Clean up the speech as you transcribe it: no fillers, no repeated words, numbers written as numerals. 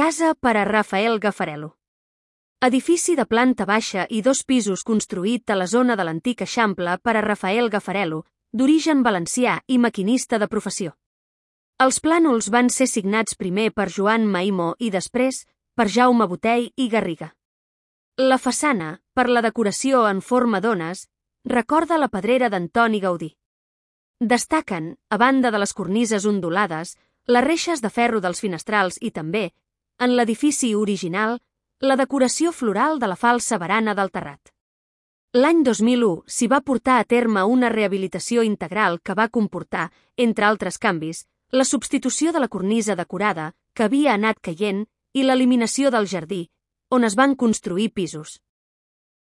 Casa per a Rafael Gafarello. Edifici de planta baixa i 2 pisos construït a la zona de l'antic Eixample per a Rafael Gafarello, d'origen valencià i maquinista de professió. Els plànols van ser signats primer per Joan Maimó i després per Jaume Botey i Garriga. La façana, per la decoració en forma d'ones, recorda la pedrera d'Antoni Gaudí. Destaquen, a banda de les cornises ondulades, les reixes de ferro dels finestrals i també, en l'edifici original, la decoració floral de la falsa barana del terrat. L'any 2001 s'hi va portar a terme una rehabilitació integral que va comportar, entre altres canvis, la substitució de la cornisa decorada, que havia anat caient, i l'eliminació del jardí, on es van construir pisos.